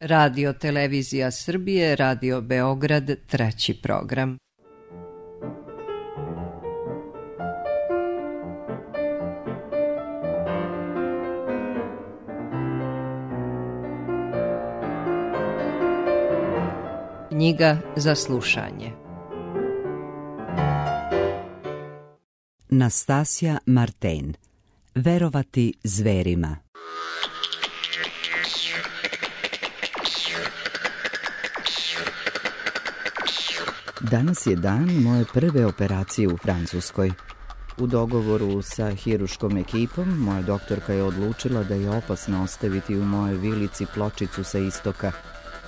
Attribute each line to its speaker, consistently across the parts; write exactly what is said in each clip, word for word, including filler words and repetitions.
Speaker 1: Radio Televizija Srbije, Radio Beograd, treći program. Knjiga za slušanje.
Speaker 2: Nastasja Marten. Verovati zverima. Danas je dan moje prve operacije u Francuskoj. U dogovoru sa hiruškom ekipom, moja doktorka je odlučila da je opasno ostaviti u mojoj vilici pločicu sa istoka,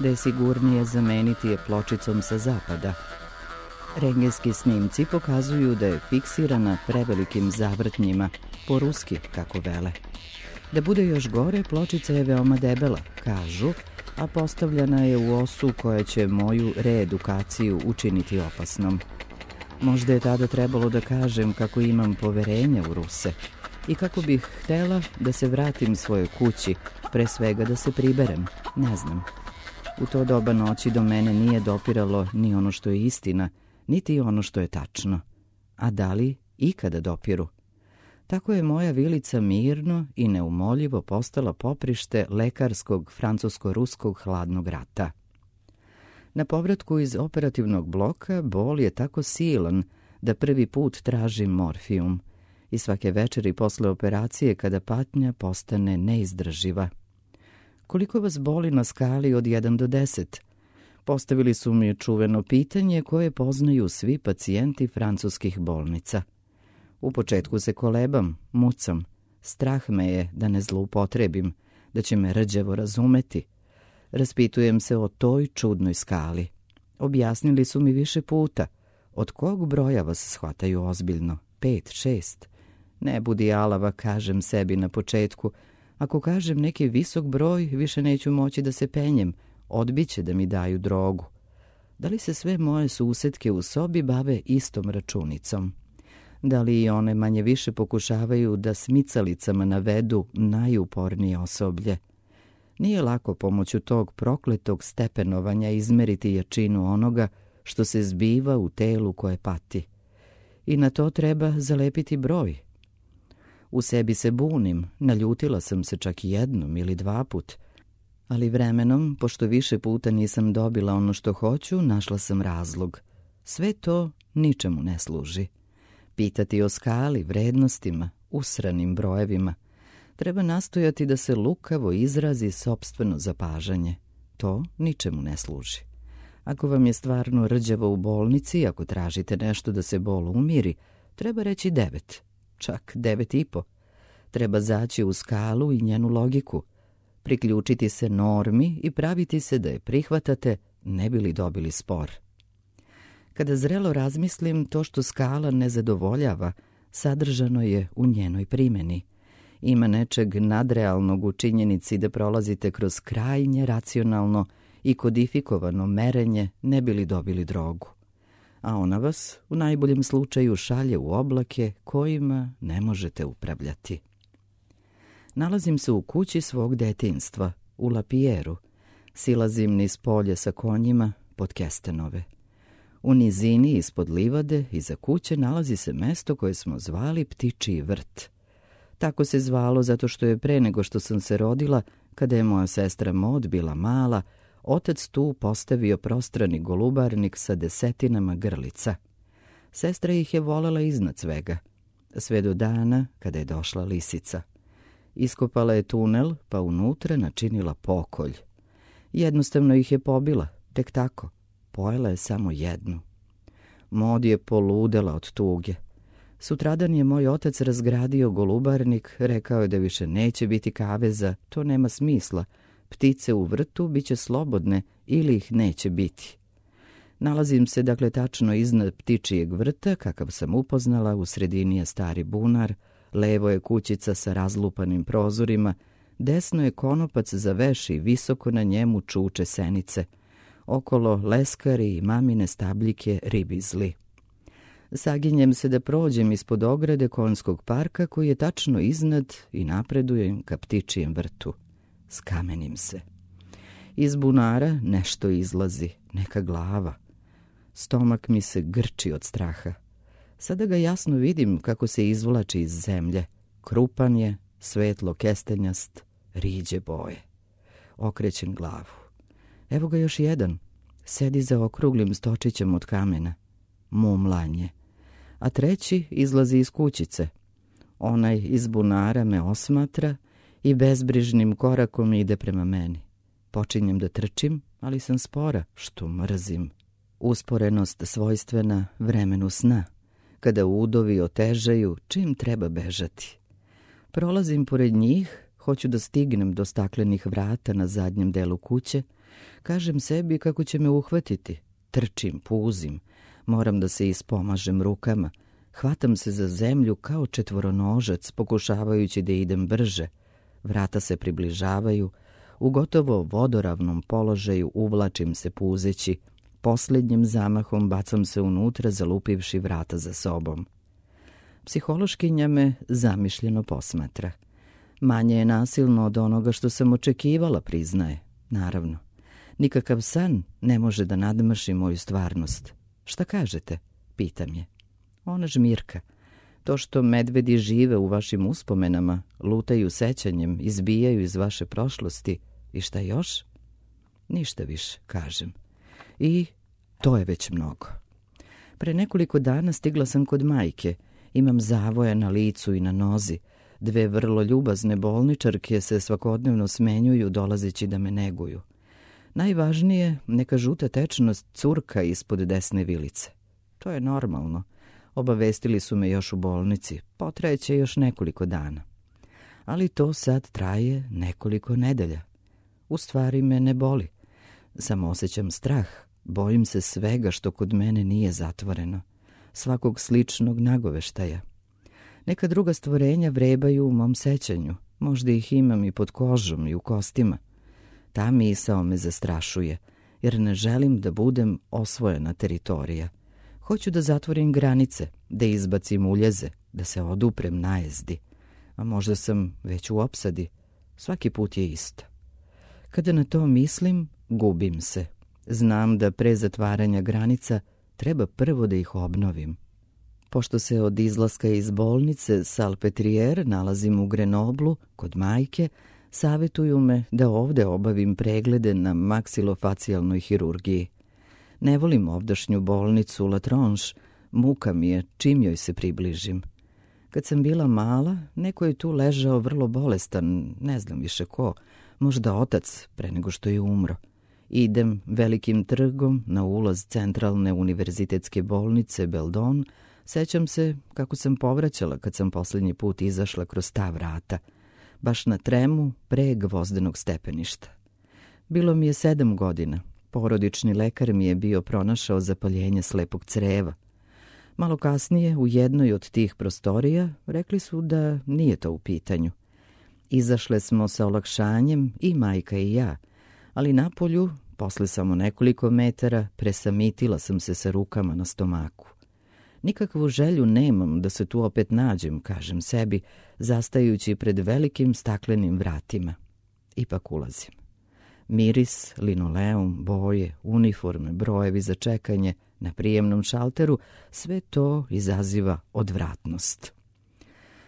Speaker 2: da je sigurnije zameniti je pločicom sa zapada. Rentgenski snimci pokazuju da je fiksirana prevelikim zavrtnjima, po ruski, kako vele. Da bude još gore, pločica je veoma debela, kažu, a postavljena je u osu koja će moju reedukaciju učiniti opasnom. Možda je tada trebalo da kažem kako imam poverenja u Ruse i kako bih htela da se vratim svojoj kući, pre svega da se priberem, ne znam. U to doba noći do mene nije dopiralo ni ono što je istina, niti ono što je tačno. A da li ikada dopiru? Tako je moja vilica mirno i neumoljivo postala poprište lekarskog francusko-ruskog hladnog rata. Na povratku iz operativnog bloka bol je tako silan da prvi put tražim morfijum i svake večeri posle operacije kada patnja postane neizdrživa. Koliko vas boli na skali od jedan do deset? Postavili su mi čuveno pitanje koje poznaju svi pacijenti francuskih bolnica. U početku se kolebam, mucam. Strah me je da ne zloupotrebim, da će me rđevo razumeti. Raspitujem se o toj čudnoj skali. Objasnili su mi više puta. Od kog broja vas shvataju ozbiljno? Pet, šest? Ne budi alava, kažem sebi na početku. Ako kažem neki visok broj, više neću moći da se penjem. Odbiće da mi daju drogu. Da li se sve moje susetke u sobi bave istom računicom? Da li i one manje više pokušavaju da smicalicama navedu najupornije osoblje? Nije lako pomoću tog prokletog stepenovanja izmeriti jačinu onoga što se zbiva u telu koje pati. I na to treba zalepiti broj. U sebi se bunim, naljutila sam se čak jednom ili dva put, ali vremenom, pošto više puta nisam dobila ono što hoću, našla sam razlog. Sve to ničemu ne služi. Pitati o skali, vrednostima, usranim brojevima. Treba nastojati da se lukavo izrazi sopstveno zapažanje. To ničemu ne služi. Ako vam je stvarno rđavo u bolnici, ako tražite nešto da se bol umiri, treba reći devet, čak devet i po. Treba zaći u skalu i njenu logiku, priključiti se normi i praviti se da je prihvatate, ne bi li dobili spor. Kada zrelo razmislim, to što skala ne zadovoljava, sadržano je u njenoj primjeni. Ima nečeg nadrealnog u činjenici da prolazite kroz krajnje racionalno i kodifikovano merenje ne bi li dobili drogu. A ona vas u najboljem slučaju šalje u oblake kojima ne možete upravljati. Nalazim se u kući svog detinjstva, u Lapierru. Silazim niz polje sa konjima pod kestenove. U nizini ispod livade iza kuće nalazi se mesto koje smo zvali Ptičiji vrt. Tako se zvalo zato što je pre nego što sam se rodila, kada je moja sestra Mod bila mala, otac tu postavio prostrani golubarnik sa desetinama grlica. Sestra ih je volela iznad svega, sve do dana kada je došla lisica. Iskopala je tunel, pa unutra načinila pokolj. Jednostavno ih je pobila, tek tako. Pojela je samo jednu. Mod je poludela od tuge. Sutradan je moj otac razgradio golubarnik, rekao je da više neće biti kaveza, to nema smisla. Ptice u vrtu bit će slobodne ili ih neće biti. Nalazim se dakle tačno iznad ptičijeg vrta, kakav sam upoznala, u sredini je stari bunar, levo je kućica sa razlupanim prozorima, desno je konopac za veš i visoko na njemu čuče senice. Okolo leskari i mamine stabljike ribizli. Saginjem se da prođem ispod ograde konjskog parka koji je tačno iznad i napredujem ka ptičijem vrtu. Skamenim se. Iz bunara nešto izlazi, neka glava. Stomak mi se grči od straha. Sada ga jasno vidim kako se izvlači iz zemlje. Krupan je, svetlo kestenjast, riđe boje. Okrećem glavu. Evo ga još jedan. Sedi za okruglim stočićem od kamena. Mumlanje. A treći izlazi iz kućice. Onaj iz bunara me osmatra i bezbrižnim korakom ide prema meni. Počinjem da trčim, ali sam spora, što mrzim. Usporenost svojstvena vremenu sna, kada udovi otežaju čim treba bežati. Prolazim pored njih, hoću da stignem do staklenih vrata na zadnjem delu kuće, kažem sebi kako će me uhvatiti. Trčim, puzim, moram da se ispomažem rukama, hvatam se za zemlju kao četvoronožac, pokušavajući da idem brže. Vrata se približavaju, u gotovo vodoravnom položaju uvlačim se puzeći, posljednjim zamahom bacam se unutra zalupivši vrata za sobom. Psihološkinja me zamišljeno posmatra. Manje je nasilno od onoga što sam očekivala, priznaje. Naravno, nikakav san ne može da nadmaši moju stvarnost. Šta kažete? Pitam je. Ona žmirka. To što medvedi žive u vašim uspomenama, lutaju sećanjem, izbijaju iz vaše prošlosti. I šta još? Ništa više, kažem. I to je već mnogo. Pre nekoliko dana stigla sam kod majke. Imam zavoje na licu i na nozi. Dve vrlo ljubazne bolničarke se svakodnevno smenjuju dolazeći da me neguju. Najvažnije, neka žuta tečnost curka ispod desne vilice. To je normalno. Obavestili su me još u bolnici. Potrajeće još nekoliko dana. Ali to sad traje nekoliko nedelja. U stvari me ne boli. Samo osjećam strah. Bojim se svega što kod mene nije zatvoreno. Svakog sličnog nagoveštaja. Neka druga stvorenja vrebaju u mom sećanju. Možda ih imam i pod kožom i u kostima. Ta misao me zastrašuje, jer ne želim da budem osvojena teritorija. Hoću da zatvorim granice, da izbacim uljeze, da se oduprem najezdi. A možda sam već u opsadi. Svaki put je isto. Kada na to mislim, gubim se. Znam da pre zatvaranja granica treba prvo da ih obnovim. Pošto se od izlaska iz bolnice Salpetriere nalazim u Grenoblu, kod majke, savjetuju me da ovde obavim preglede na maksilofacijalnoj hirurgiji. Ne volim ovdašnju bolnicu La Tronche, muka mi je čim joj se približim. Kad sam bila mala, neko je tu ležao vrlo bolestan, ne znam više ko, možda otac pre nego što je umro. Idem velikim trgom na ulaz centralne univerzitetske bolnice Beldon. Sećam se kako sam povraćala kad sam posljednji put izašla kroz ta vrata, baš na tremu pre gvozdenog stepeništa. Bilo mi je sedam godina. Porodični lekar mi je bio pronašao zapaljenje slepog creva. Malo kasnije, u jednoj od tih prostorija, rekli su da nije to u pitanju. Izašle smo sa olakšanjem, i majka i ja, ali napolju, posle samo nekoliko metara, presamitila sam se sa rukama na stomaku. Nikakvu želju nemam da se tu opet nađem, kažem sebi, zastajući pred velikim staklenim vratima. Ipak ulazim. Miris, linoleum, boje, uniforme, brojevi za čekanje na prijemnom šalteru, sve to izaziva odvratnost.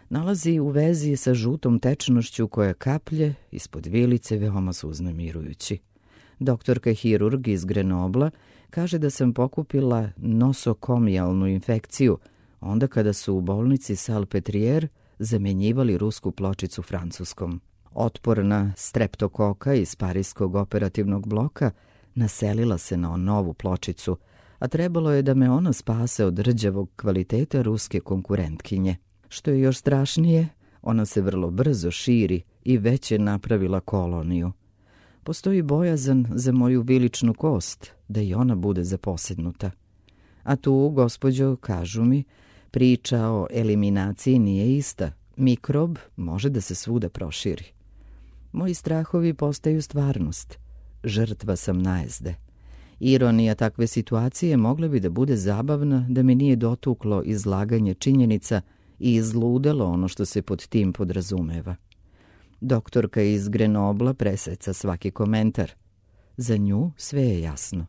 Speaker 2: Nalazi u vezi sa žutom tečnošću koja kaplje ispod vilice, veoma su uznemirujući. Doktorka hirurg iz Grenobla kaže da sam pokupila nosokomijalnu infekciju, onda kada su u bolnici Salpetriere zamenjivali rusku pločicu francuskom. Otporna streptokoka iz parijskog operativnog bloka naselila se na novu pločicu, a trebalo je da me ona spase od rđavog kvaliteta ruske konkurentkinje. Što je još strašnije, ona se vrlo brzo širi i već je napravila koloniju. Postoji bojazan za moju viličnu kost, da i ona bude zaposednuta. A tu, gospođo, kažu mi, priča o eliminaciji nije ista. Mikrob može da se svuda proširi. Moji strahovi postaju stvarnost. Žrtva sam najezde. Ironija takve situacije mogla bi da bude zabavna da mi nije dotuklo izlaganje činjenica i izludelo ono što se pod tim podrazumeva. Doktorka iz Grenobla preseca svaki komentar. Za nju sve je jasno.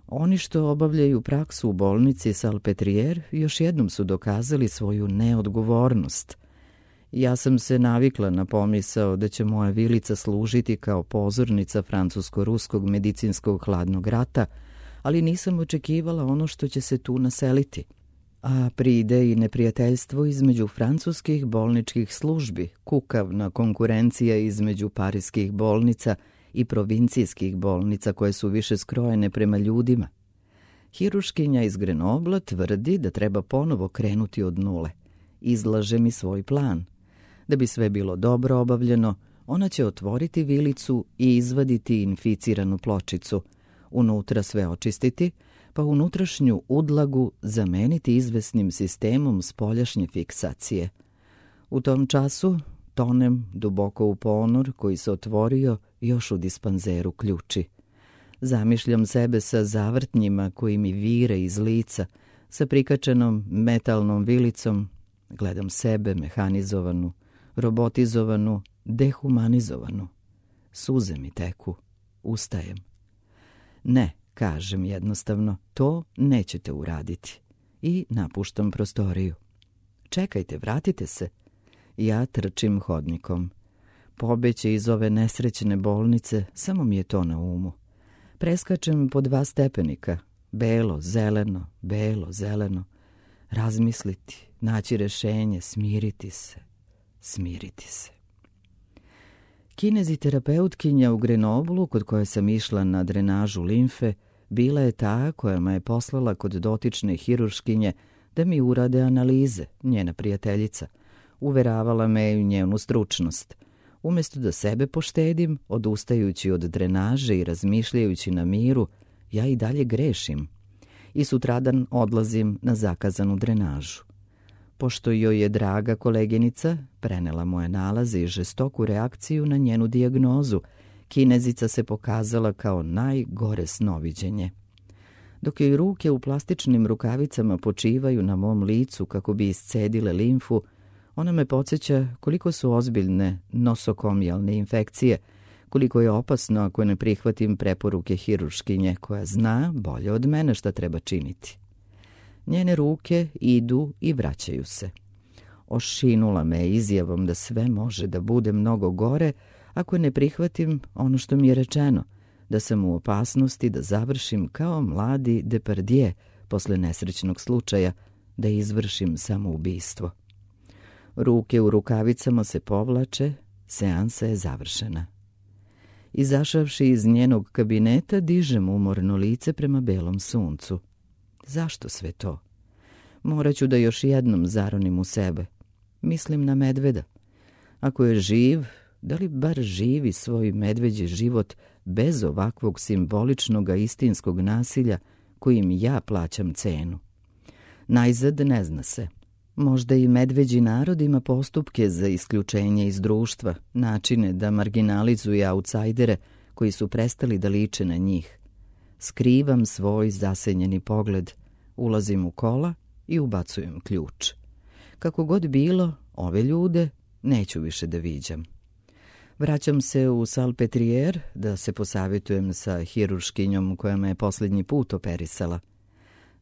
Speaker 2: Oni što obavljaju praksu u bolnici Salpêtrière još jednom su dokazali svoju neodgovornost. Ja sam se navikla na pomisao da će moja vilica služiti kao pozornica francusko-ruskog medicinskog hladnog rata, ali nisam očekivala ono što će se tu naseliti. A pride i neprijateljstvo između francuskih bolničkih službi, kukavna konkurencija između parijskih bolnica i provincijskih bolnica koje su više skrojene prema ljudima. Hiruškinja iz Grenobla tvrdi da treba ponovo krenuti od nule. Izlaže mi svoj plan. Da bi sve bilo dobro obavljeno, ona će otvoriti vilicu i izvaditi inficiranu pločicu, unutra sve očistiti, pa unutrašnju udlagu zameniti izvesnim sistemom spoljašnje fiksacije. U tom času tonem duboko u ponor koji se otvorio još u dispanzeru ključi. Zamišljam sebe sa zavrtnjima koji mi vire iz lica, sa prikačenom metalnom vilicom. Gledam sebe mehanizovanu, robotizovanu, dehumanizovanu. Suze mi teku. Ustajem. Ne, kažem jednostavno, to nećete uraditi. I napuštam prostoriju. Čekajte, vratite se. Ja trčim hodnikom. Pobeći iz ove nesrećne bolnice, samo mi je to na umu. Preskačem po dva stepenika. Belo, zeleno, belo, zeleno. Razmisliti, naći rešenje, smiriti se, smiriti se. Kineziterapeutkinja u Grenoblu, kod koje sam išla na drenažu limfe, bila je ta koja me je poslala kod dotične hiruškinje da mi urade analize, njena prijateljica. Uveravala me u njenu stručnost. Umjesto da sebe poštedim, odustajući od drenaže i razmišljajući na miru, ja i dalje grešim. I sutradan odlazim na zakazanu drenažu. Pošto joj je draga koleginica prenela moje nalaze i žestoku reakciju na njenu dijagnozu, Kinezica se pokazala kao najgore snoviđenje. Dok joj ruke u plastičnim rukavicama počivaju na mom licu kako bi iscedile limfu, ona me podsjeća koliko su ozbiljne nosokomijalne infekcije, koliko je opasno ako ne prihvatim preporuke hiruškinje koja zna bolje od mene šta treba činiti. Njene ruke idu i vraćaju se. Ošinula me izjavom da sve može da bude mnogo gore ako ne prihvatim ono što mi je rečeno, da sam u opasnosti da završim kao mladi Depardieu posle nesrećnog slučaja, da izvršim samoubistvo. Ruke u rukavicama se povlače, seansa je završena. Izašavši iz njenog kabineta, dižem umorno lice prema belom suncu. Zašto sve to? Moraću da još jednom zaronim u sebe. Mislim na medveda. Ako je živ, da li bar živi svoj medveđi život bez ovakvog simboličnog istinskog nasilja kojim ja plaćam cenu? Najzad ne zna se. Možda i medveđi narod ima postupke za isključenje iz društva, načine da marginalizuje autsajdere koji su prestali da liče na njih. Skrivam svoj zasenjeni pogled, ulazim u kola i ubacujem ključ. Kako god bilo, ove ljude neću više da viđam. Vraćam se u Salpêtrière da se posavjetujem sa hiruškinjom koja me je posljednji put operisala.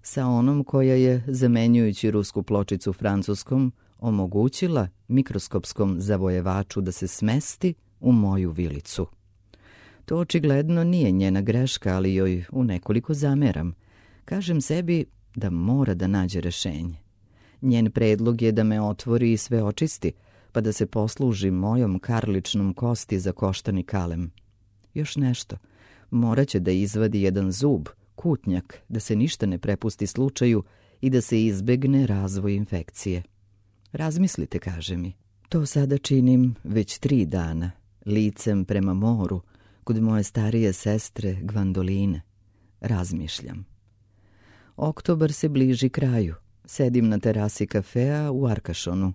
Speaker 2: Sa onom koja je, zamenjujući rusku pločicu francuskom, omogućila mikroskopskom zavojevaču da se smesti u moju vilicu. To očigledno nije njena greška, ali joj u nekoliko zameram. Kažem sebi da mora da nađe rešenje. Njen predlog je da me otvori i sve očisti, pa da se posluži mojom karličnom kosti za koštani kalem. Još nešto, morat će da izvadi jedan zub, kutnjak, da se ništa ne prepusti slučaju i da se izbegne razvoj infekcije. Razmislite, kaže mi. To sada činim već tri dana, licem prema moru, kod moje starije sestre Gvandoline. Razmišljam. Oktobar se bliži kraju. Sedim na terasi kafea u Arkašonu.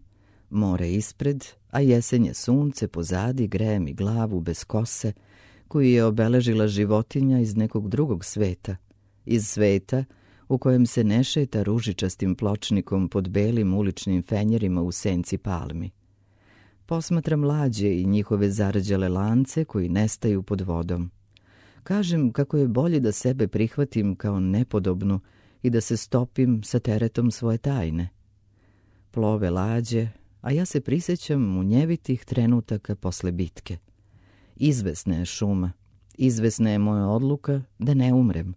Speaker 2: More ispred, a jesenje sunce pozadi greje mi glavu bez kose, koju je obeležila životinja iz nekog drugog sveta. Iz sveta u kojem se ne šeta ružičastim pločnikom pod belim uličnim fenjerima u senci palmi. Posmatram lađe i njihove zarđale lance koji nestaju pod vodom. Kažem kako je bolje da sebe prihvatim kao nepodobnu i da se stopim sa teretom svoje tajne. Plove lađe, a ja se prisjećam munjevitih trenutaka posle bitke. Izvesna je šuma, izvesna je moja odluka da ne umrem.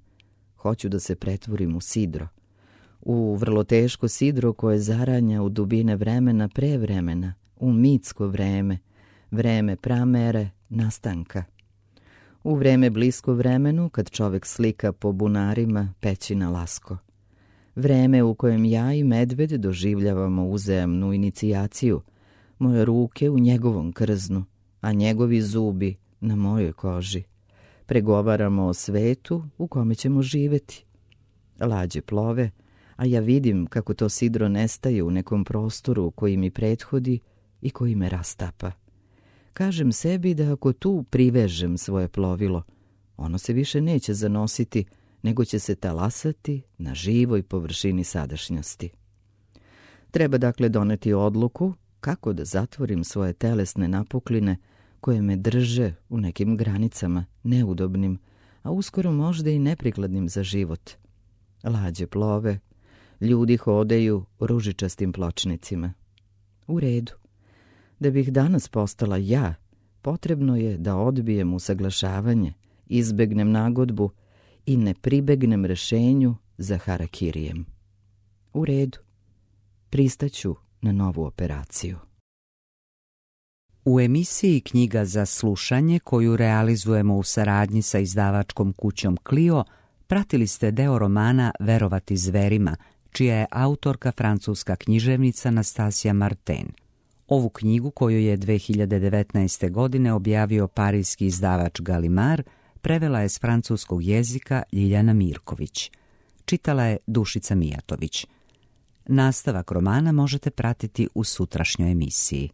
Speaker 2: Hoću da se pretvorim u sidro. U vrlo teško sidro koje zaranja u dubine vremena pre vremena, u mitsko vreme, vreme pramere, nastanka. U vreme blisko vremenu, kad čovek slika po bunarima pećina lasko. Vreme u kojem ja i medved doživljavamo uzajamnu inicijaciju, moje ruke u njegovom krznu, a njegovi zubi na mojoj koži. Pregovaramo o svetu u kome ćemo živeti. Lađe plove, a ja vidim kako to sidro nestaje u nekom prostoru koji mi prethodi i koji me rastapa. Kažem sebi da ako tu privežem svoje plovilo, ono se više neće zanositi, nego će se talasati na živoj površini sadašnjosti. Treba dakle doneti odluku kako da zatvorim svoje telesne napukline koje me drže u nekim granicama neudobnim, a uskoro možda i neprikladnim za život. Lađe plove, ljudi hodaju ružičastim pločnicima. U redu. Da bih danas postala ja, potrebno je da odbijem usaglašavanje, izbegnem nagodbu i ne pribegnem rešenju za harakirijem. U redu. Pristaću na novu operaciju.
Speaker 1: U emisiji Knjiga za slušanje, koju realizujemo u saradnji sa izdavačkom kućom Clio, pratili ste deo romana Verovati zverima, čija je autorka francuska književnica Nastasija Martin. Ovu knjigu, koju je dve hiljade devetnaeste. godine objavio parijski izdavač Gallimard, prevela je s francuskog jezika Ljiljana Mirković. Čitala je Dušica Mijatović. Nastavak romana možete pratiti u sutrašnjoj emisiji.